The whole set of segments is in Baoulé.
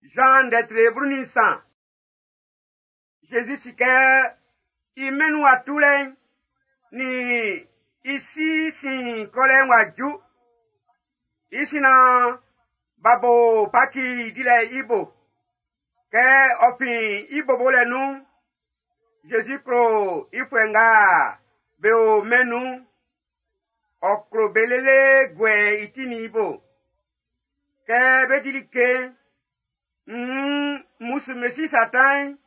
Zan ndɛ tre 13. Zezi si kɛ i mɛn'n wa tulɛ'n nin i si sin kɔlɛ'n w'a ju. I sin naan b'a bo Paki dilɛ'n i bo. Kɛ ɔ fin i bobolɛ nun'n, Zezi klo i fuɛ nga be o mɛn'n nun'n. Ɔ klo be lele guɛ i ti nin i bo. Kɛ bé dí like'n, nn mmusu Mesi Satan'n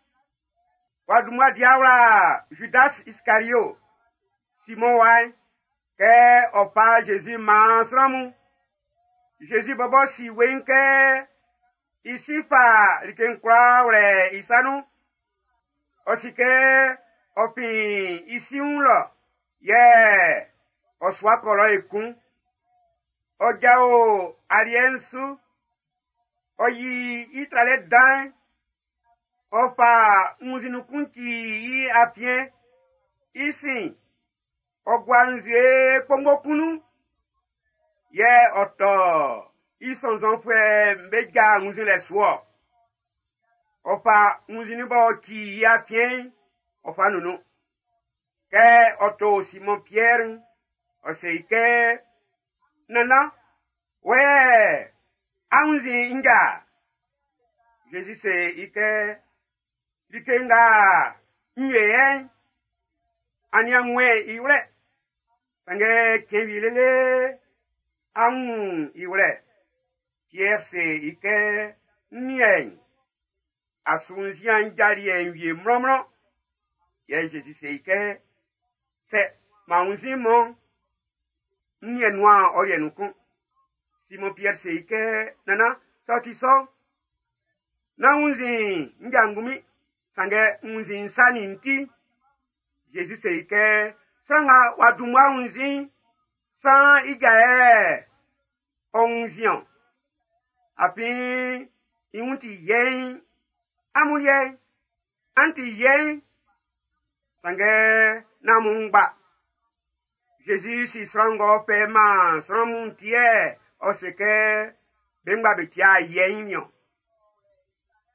w'a dun mmua di awla Judas Iskario, Simɔn wa'n, kɛ ɔ fa Zezi man sran mun. Zezi bɔbɔ si weiin kɛ i si fa like'n kwlaa wlɛ i sa nun. Ɔ si kɛ ɔ fin i si wun lɔ, yɛ ɔ su wa kɔ lɔ ekun. Ɔ jao aliɛ'n su, ɔ yi i tralɛ dan'n, ɔ fa wunnzinnun kun ci i afiɛn. I sin, ɔ gua nzue kpongbo kun nun, yɛ ɔ tɔ i sɔnnzɔnfuɛ'm be ja wunnzinlɛ su-ɔ. Ɔ fa wunnzinnin b'ɔ ci i afiɛn'n, ɔ fa nunnun. Kɛ ɔ to Simɔn Piɛr'n, ɔ se i kɛ, Nannan, wɔ yɛ a wunnzin n ja? Zezi se i kɛ, Like nga n yo yɛ'n, a nian wunmɛn i wlɛ. Sanngɛ cɛn wie lele á wún i wlɛ. Piɛr se i kɛ, N niɛn, a su wunnzian n ja liɛ'n wie mlɔnmlɔn. Yɛ Zezi se i kɛ, Sɛ m'an wunnzin mɔn, n niɛn nuan ɔ liɛ nun kun. Simɔn Piɛr se i kɛ, Nannan, sɛ ɔ ti sɔ, nán wunnzin n ja ngunmin, sanngɛ wunnzin n sa nin n ti. Zezi se i kɛ, Sran nga w'a dun mmua wunnzin'n, san i ja yɛ ɔ wunnzin-ɔn. Afin i wun ti yɛiin. Amun liɛ'n, an ti yɛiin. Sanngɛ nán amun ngba. Zezi si sran ng'ɔ fɛ man sran mun ti yɛ ɔ se kɛ be ngba be tia yɛiin niɔn.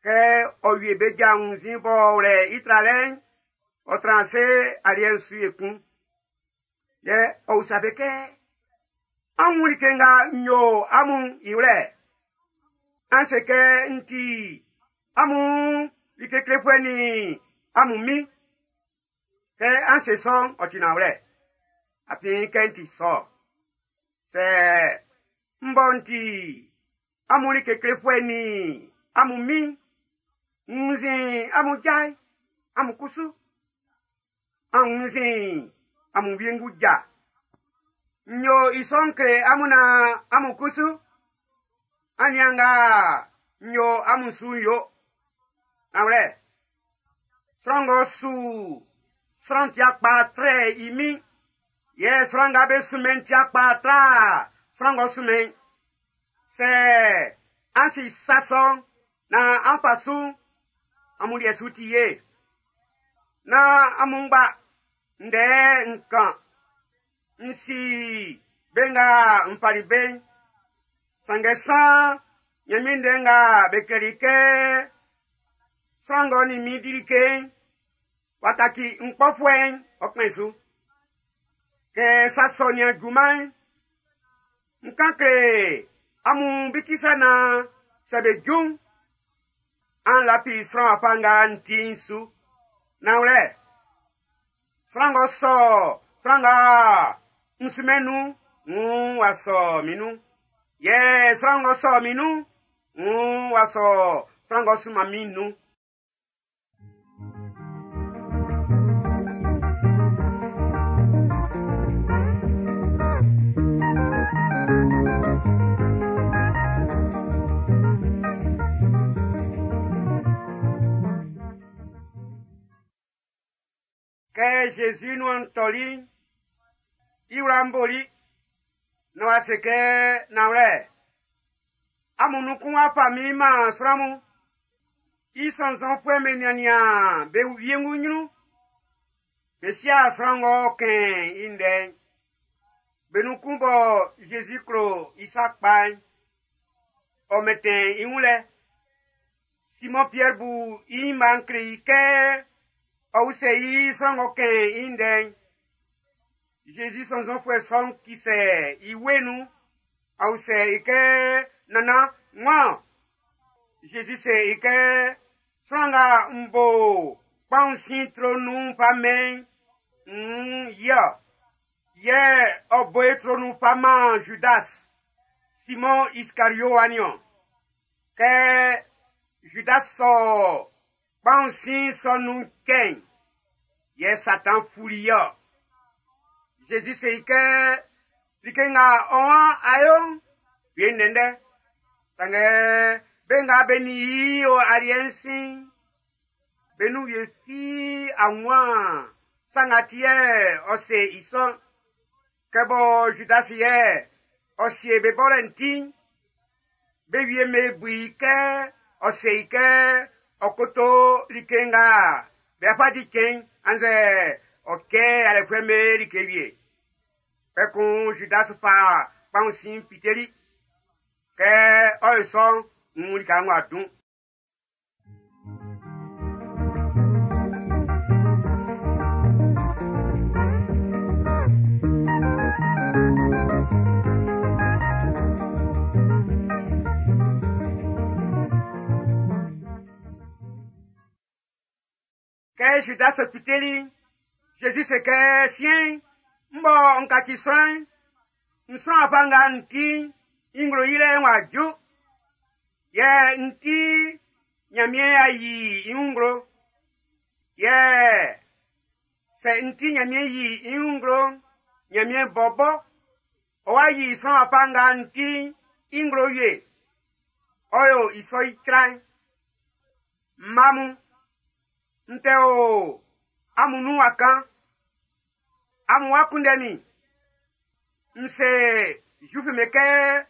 Kɛ ɔ wie be ja wunnzin b'ɔ wlɛ i tralɛ'n, ɔ tran ase aliɛ'n su ekun. Yɛ ɔ usa be kɛ, An wun like nga n yo amun i wlɛ? An se kɛ n ti amun like klefuɛ nin amun min. Kɛ an se sɔ'n, ɔ ti nanwlɛ. Afin kɛ n ti sɔ. Sɛ m bɔ n ti amun like klefuɛ nin amun min, n wunnzin amun ja'n, amun kusu, an wunnzin amun wiengu ja. N yo i sɔ'n kle amun naan amun kusu, an nian nga n yo amun su'n yo. Nanwlɛ, sran ng'ɔ su sran tia kpa trɛ i min, yɛ sran nga be sunmɛn tia kpa tra sran ng'ɔ sunmɛn. Sɛ an si sa sɔ'n naan an fa su'n, amun liɛ su ti ye. Nán amun ngba ndɛ n kan. N si be nga n fali be'n. Sanngɛ san Ɲanmiɛn ndɛ nga be klɛli kɛ sran ng'ɔ nin min di like'n, w'a kaci n kpɔfuɛ'n, ɔ kpɛn su. Kɛ sa sɔ nian junman'n, n kan kle amun bikisa naan sɛ be ju'n, an lafi sran wafa nga n ti'n su. Nanwlɛ, sran ng'ɔ sɔ sran nga n sunmɛn nun'n, wuun w'a sɔ min nun. Yɛ sran ng'ɔ sɔ min nun'n, wuun w'a sɔ sran ng'ɔ sunman min nun. Kɛ Zezi nuan tɔli'n, i wla'n boli, naan w'a se kɛ, Nanwlɛ, amun nun kun w'a fa min man sran mun. I sɔnnzɔnfuɛ'm be niannian be wiengu ɲrun. Be sia sran ng'ɔ kɛn i ndɛ'n. Be nun kun bɔ Zezi klo i sa kpa'n, ɔ mɛntɛn i wun lɛ. Simɔn Piɛr bu i ɲinma'n kle i kɛ ɔ usɛ i sran ng'ɔ kɛn i ndɛ'n. Zezi sɔnnzɔnfuɛ sɔ'n kisɛ i wue nun, ɔ usɛ i kɛ, Nannan, wan? Zezi se i kɛ, sran nga n bo kpaun sin tro nun fa mɛn i'n, yɛ yɛ ɔ bo e tro nun fa man Judas, Simon Iskario wa niɔn. Kɛ Judas sɔ kpaun sin sɔ nun cɛ'n, yɛ Satan fuli yɔ. Zezi se i kɛ, like nga ɔ waan a yo'n, wie ndɛndɛ. Sanngɛ be nga be nin i o aliɛ'n sin'n, be nun wie fi a wun sa nga ti yɛ ɔ se i sɔ'n. Kɛ bɔ Judas yɛ ɔ sie be bɔlɛ'n ti'n, be wie me bu i kɛ ɔ se i kɛ ɔ koto like nga be afa di cɛn annzɛ ɔ kɛ alɛfuɛ'm be like wie. Kpɛkun Judas fa kpaun sin fiteli. Kɛ ɔ ye sɔ'n, n lika ng'ɔ dun. Kɛ Judas fiteli, Zezi se kɛ siɛn'n, n bɔ n kaci sran'n, n sran afa nga n ti i nglo yilɛ'n w'a ju. Yɛ n ti Ɲanmiɛn a yi i wun nglo. Yɛ sɛ n ti Ɲanmiɛn yi i wun nglo'n, Ɲanmiɛn bɔbɔ, ɔ wa yi sran afa nga n ti i nglo wie. Ɔ yo i sɔ i tra'n. Mma mun, n tɛ o amun nun wa kan. Amun wa kunndɛ min. N se Zuifu me kɛ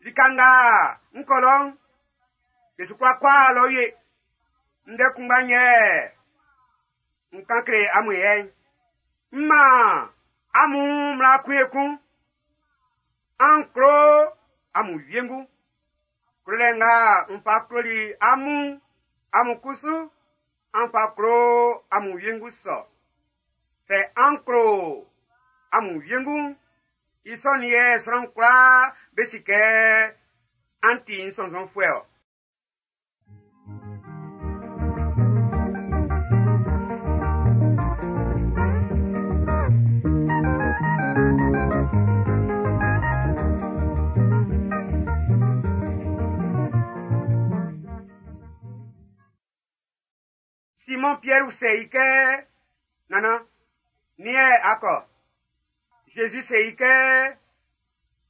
lika nga n kɔ lɔ'n, be su kwla kɔ lɔ wie. Ndɛ kunngba'n yɛ n kan kle amun yɛ'n. M man amun mmla kun ekun. An klo amun wiengu. Klolɛ nga n fa kloli amun, amun kusu, an fa klo amun wiengu sɔ. Sɛ an klo amun wiengu'n, i sɔ'n yɛ sran kwlaa be si kɛ an ti n sɔnnzɔnfuɛ ɔ. Simon Pierre se i kɛ, Nannan, nin yɛ a kɔ? Zezi se i kɛ,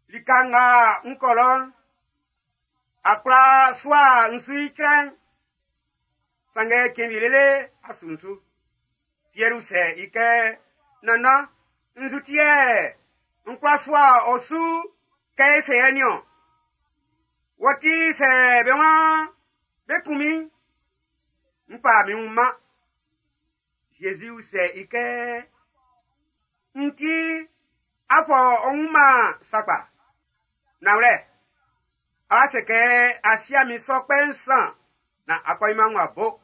lika nga n kɔ lɔ'n, a kwla sua n su i trɛ'n, sanngɛ cɛn wie lele a su n su. Pierre se i kɛ, Nannan, nzu ti yɛ n kwla sua ɔ su kɛ e se yɛ niɔn? Wɔ ti sɛ be waan be kun min, n fa min wun man. Zezi usɛ i kɛ, n ti a fɔ ɔ wun man sakpa. Nanwlɛ, a se kɛ a sia min sɔ kpɛ nsan na a kɔ i man wa bo.